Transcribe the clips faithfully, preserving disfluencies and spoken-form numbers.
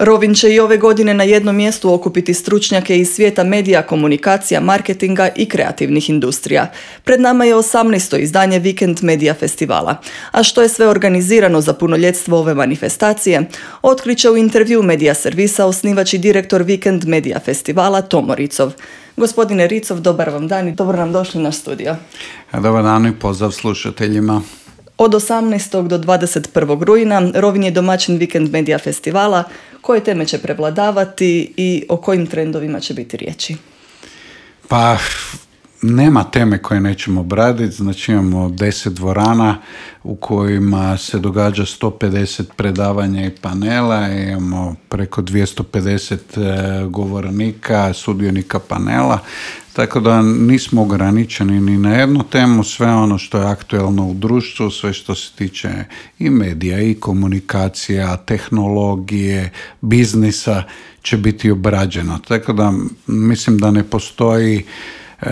Rovin će i ove godine na jednom mjestu okupiti stručnjake iz svijeta medija, komunikacija, marketinga i kreativnih industrija. Pred nama je osamnaesto izdanje Vikend Medija Festivala. A što je sve organizirano za punoljetstvo ove manifestacije, otkriće u intervju Medija servisa osnivač i direktor Vikend Medija Festivala Tomo Ricov. Gospodine Ricov, dobar vam dan i dobro nam došli na studio. Dobar dan i pozdrav slušateljima. Od osamnaestog do dvadeset prvog rujna Rovinj je domaćin Vikend Medija Festivala. Koje teme će prevladavati i o kojim trendovima će biti riječi? Pa, nema teme koje nećemo obraditi. Znači imamo deset dvorana u kojima se događa sto pedeset predavanja i panela. Imamo preko dvjesto pedeset govornika, sudionika panela. Tako da nismo ograničeni ni na jednu temu, sve ono što je aktuelno u društvu, sve što se tiče i medija, i komunikacija, tehnologije, biznisa će biti obrađeno. Tako da mislim da ne postoji e,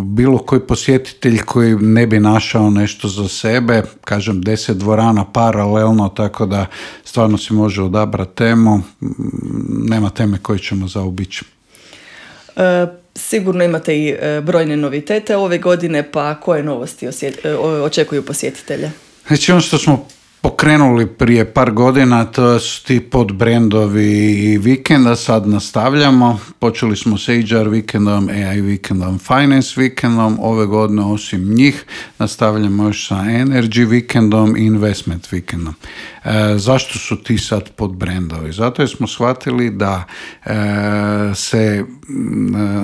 bilo koji posjetitelj koji ne bi našao nešto za sebe. Kažem, deset dvorana paralelno, tako da stvarno si može odabrati temu. Nema teme koje ćemo zaobići. E, sigurno imate i e, brojne novitete ove godine, pa koje novosti osjet, e, očekuju posjetitelje? Znači ono što smo pokrenuli prije par godina, to su ti podbrendovi vikenda, sad nastavljamo. Počeli smo s H R vikendom, A I vikendom, Finance vikendom, ove godine osim njih nastavljamo još sa Energy vikendom i Investment vikendom. E, zašto su ti sad podbrendovi? Zato jer smo shvatili da e, se e,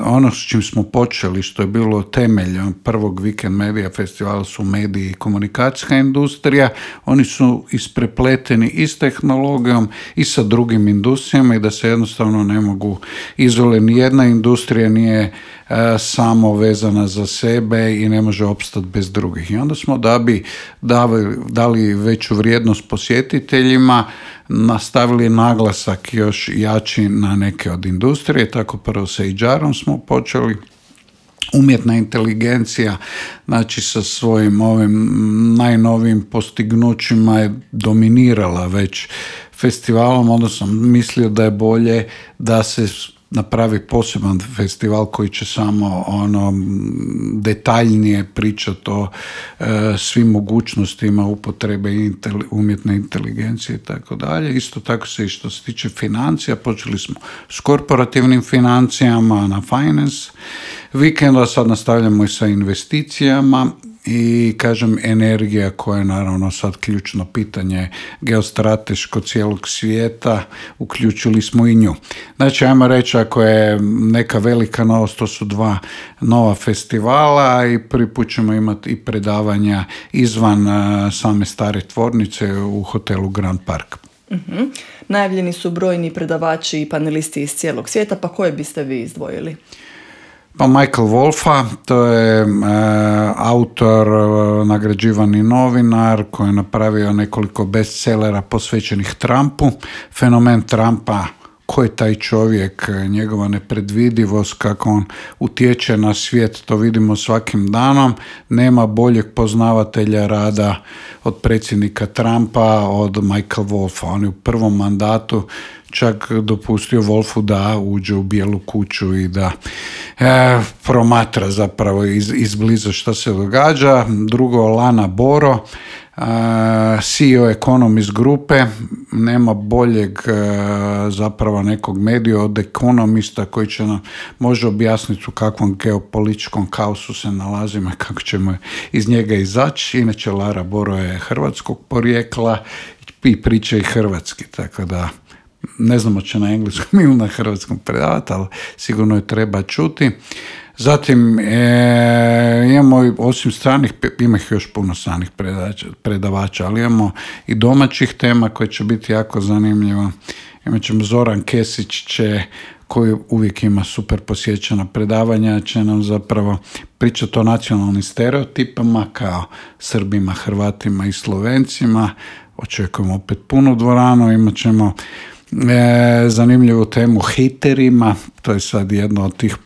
ono s čim smo počeli, što je bilo temelj prvog Vikend Medija Festivala, su mediji i komunikacijska industrija. Oni su isprepleteni i s tehnologijom i sa drugim industrijama i da se jednostavno ne mogu izolirati. Nijedna industrija nije e, samo vezana za sebe i ne može opstati bez drugih. I onda smo, da bi dali, dali veću vrijednost posjetiteljima, nastavili naglasak još jači na neke od industrije. Tako prvo sa H R-om smo počeli. Umjetna inteligencija, znači sa svojim ovim najnovijim postignućima je dominirala već festivalom, onda sam mislio da je bolje da se napravi poseban festival koji će samo ono detaljnije pričati o e, svim mogućnostima upotrebe inteli, umjetne inteligencije i tako dalje. Isto tako se i što se tiče financija, počeli smo s korporativnim financijama na Finance vikenda, sad nastavljamo i sa investicijama i kažem energija koja je naravno sad ključno pitanje geostrateško cijelog svijeta, uključili smo i nju. Znači ajmo reći, ako je neka velika novost, to su dva nova festivala i prvi put ćemo imati i predavanja izvan uh, same stare tvornice u hotelu Grand Park. Uh-huh. Najavljeni su brojni predavači i panelisti iz cijelog svijeta, pa koje biste vi izdvojili? Pa Michael Wolfa, to je e, autor, e, nagrađivani novinar koji je napravio nekoliko bestsellera posvećenih Trumpu. Fenomen Trumpa, ko je taj čovjek, njegova nepredvidivost, kako on utječe na svijet, to vidimo svakim danom. Nema boljeg poznavatelja rada od predsjednika Trumpa, od Michael Wolfa. On je u prvom mandatu čak dopustio Wolfu da uđe u Bijelu kuću i da e, promatra zapravo iz, izbliza što se događa. Drugo, Lana Boro, Uh, C E O Economist grupe, nema boljeg uh, zapravo nekog medija od ekonomista koji će nam može objasniti u kakvom geopolitičkom kaosu se nalazimo i kako ćemo iz njega izaći. Inače, Lara Boro je hrvatskog porijekla i priča i hrvatski, tako da ne znamo će na engleskom ili na hrvatskom predavati, ali sigurno je treba čuti. Zatim e, imamo osim stranih, ima ih još puno stranih predavača, ali imamo i domaćih tema koje će biti jako zanimljivo. Imat ćemo Zoran Kesić će, koji uvijek ima super posjećena predavanja, će nam zapravo pričati o nacionalnim stereotipama kao Srbima, Hrvatima i Slovencima. Očekujemo opet punu dvoranu, imat ćemo E, zanimljivu temu hejterima, to je sad jedno od tih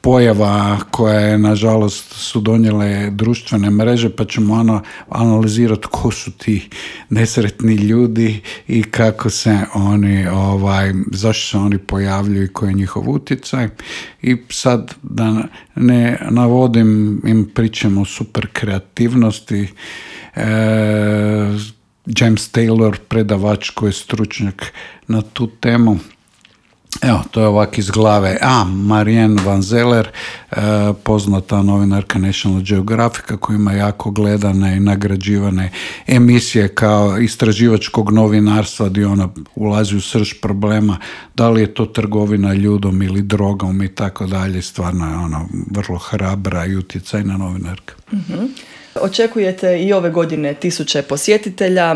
pojava koja je, nažalost, su donijele društvene mreže, pa ćemo ono analizirati ko su ti nesretni ljudi i kako se oni, ovaj, zašto se oni pojavljuju i koji je njihov utjecaj. I sad da ne navodim, im pričamo o super kreativnosti. E, James Taylor, predavač koji je stručnjak na tu temu. Evo, to je ovak iz glave. A, Marianne Van Zeller, e, poznata novinarka National Geographica, koja ima jako gledane i nagrađivane emisije kao istraživačkog novinarstva gdje ona ulazi u srž problema, da li je to trgovina ljudom ili drogom i tako dalje. Stvarno je ona vrlo hrabra i utjecajna novinarka. Mm-hmm. Očekujete i ove godine tisuće posjetitelja.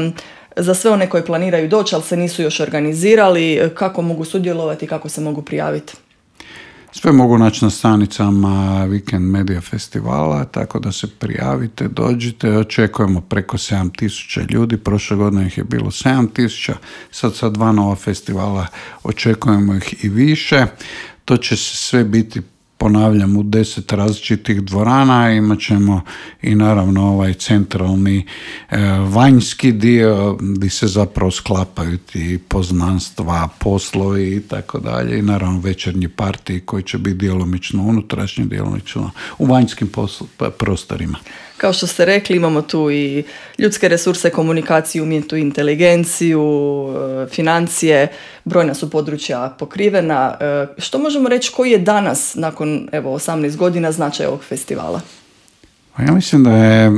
Za sve one koji planiraju doći, ali se nisu još organizirali, kako mogu sudjelovati, kako se mogu prijaviti? Sve mogu naći na stranicama Weekend Media Festivala, tako da se prijavite, dođite. Očekujemo preko sedam tisuća ljudi, prošle godine ih je bilo sedam tisuća, sad sa dva nova festivala očekujemo ih i više. To će sve biti, ponavljam, u deset različitih dvorana. Imat ćemo i naravno ovaj centralni e, vanjski dio gdje se zapravo sklapaju ti poznanstva, poslovi i tako dalje. I naravno večernji partiji koji će biti djelomično unutrašnji, djelomično u vanjskim posl- prostorima. Kao što ste rekli, imamo tu i ljudske resurse, komunikaciju, umjetnu inteligenciju, financije, brojna su područja pokrivena. Što možemo reći, koji je danas, nakon evo, osamnaest godina, značaj ovog festivala? Ja mislim da je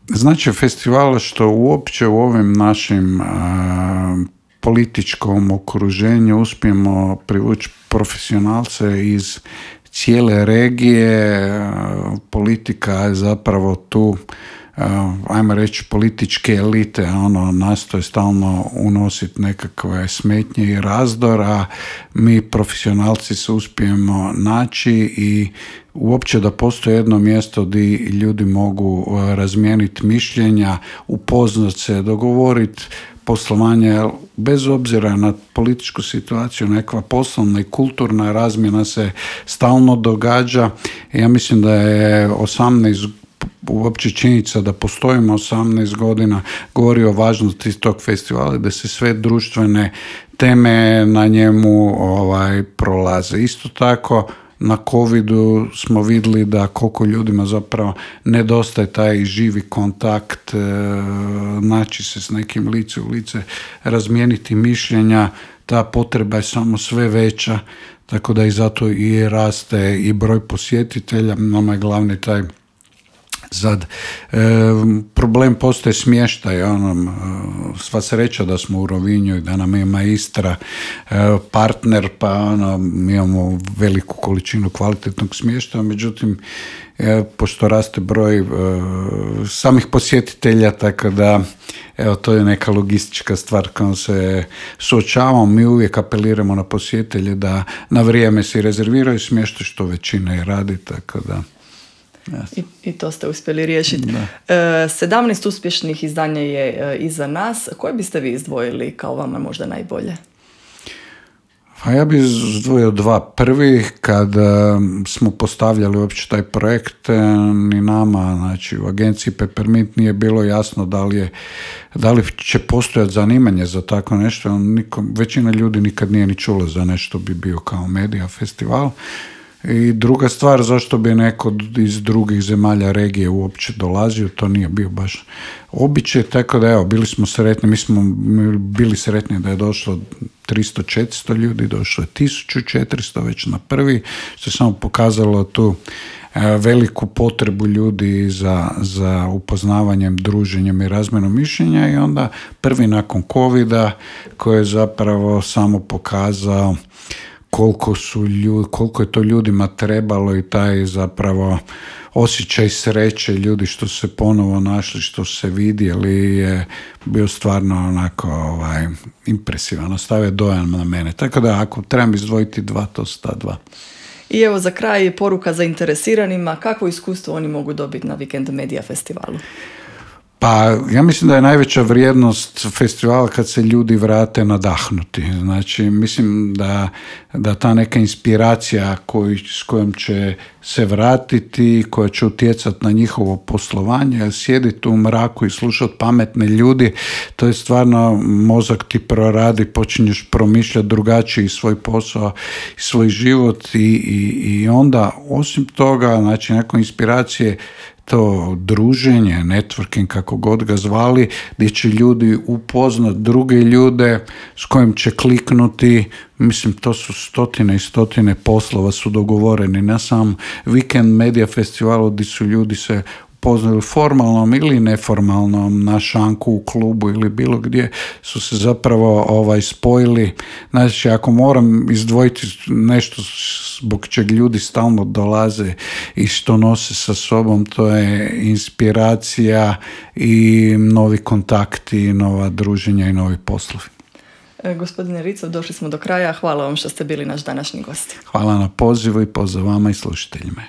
značaj festivala što uopće u ovim našim a, političkom okruženju uspijemo privući profesionalce iz cijele regije. Politika je zapravo tu, ajmo reći, političke elite, ono, nastoje stalno unositi nekakve smetnje i razdor, a mi profesionalci se uspijemo naći i uopće da postoji jedno mjesto gdje ljudi mogu razmijeniti mišljenja, upoznat se, dogovoriti poslovanje, bez obzira na političku situaciju, nekakva poslovna i kulturna razmjena se stalno događa. Ja mislim da je osamnaest uopće činjenica da postojimo osamnaest godina govori o važnosti tog festivala, da se sve društvene teme na njemu ovaj, prolaze. Isto tako, na covidu smo vidjeli da koliko ljudima zapravo nedostaje taj živi kontakt, e, naći se s nekim lice u lice, razmijeniti mišljenja, ta potreba je samo sve veća, tako da i zato i raste i broj posjetitelja. Nama je glavni taj Sad, e, problem postaje smještaj, ono, sva sreća da smo u Rovinju i da nam ima Istra e, partner, pa ono, mi imamo veliku količinu kvalitetnog smještaja, međutim, e, pošto raste broj e, samih posjetitelja, tako da, evo, to je neka logistička stvar kojom se suočavamo. Mi uvijek apeliramo na posjetitelje da na vrijeme si rezerviraju smještaj, što većina i radi, tako da... Yes. I, I to ste uspjeli riješiti. E, sedamnaest uspješnih izdanja je e, iza nas. Koje biste vi izdvojili kao vama možda najbolje? Pa ja bih izdvojio dva. Prvi, kad e, smo postavljali uopće taj projekt, e, ni nama, znači u agenciji Peppermint nije bilo jasno da li, je, da li će postojati zanimanje za tako nešto. Nikom, većina ljudi nikad nije ni čula za nešto bi bio kao medija festival. I druga stvar, zašto bi neko iz drugih zemalja regije uopće dolazio, to nije bio baš običaj, tako da evo, bili smo sretni, mi smo bili sretni da je došlo tristo četiristo ljudi, došlo je tisuću četiristo već na prvi, što je samo pokazalo tu veliku potrebu ljudi za, za upoznavanjem, druženjem i razmjenom mišljenja, i onda prvi nakon covida koji je zapravo samo pokazao koliko su ljudi, koliko je to ljudima trebalo, i taj zapravo osjećaj sreće ljudi što su se ponovo našli, što su se vidjeli, je bio stvarno onako ovaj, impresivan, ostavio dojam na mene. Tako da ako trebam izdvojiti dva, to su ta dva. I evo za kraj poruka zainteresiranima, kakvo iskustvo oni mogu dobiti na Weekend Media Festivalu? Pa ja mislim da je najveća vrijednost festivala kad se ljudi vrate nadahnuti. Znači, mislim da, da ta neka inspiracija koju, s kojom će se vratiti, koja će utjecati na njihovo poslovanje, sjediti u mraku i slušati pametne ljudi, to je stvarno, mozak ti proradi, počinješ promišljati drugačiji svoj posao i svoj život i, i, i onda, osim toga, znači, nakon inspiracije, to druženje, networking, kako god ga zvali, gdje će ljudi upoznat druge ljude s kojim će kliknuti. Mislim, to su stotine i stotine poslova su dogovoreni na sam Weekend Media Festivalu, gdje su ljudi se upoznali formalnom ili neformalnom, na šanku, u klubu ili bilo gdje, su se zapravo ovaj, spojili. Znači, ako moram izdvojiti nešto zbog čeg ljudi stalno dolaze i što nose sa sobom, to je inspiracija i novi kontakti, nova druženja i novi poslovi. E, gospodine Ricov, došli smo do kraja. Hvala vam što ste bili naš današnji gost. Hvala na pozivu i pozdrav vama i slušateljima.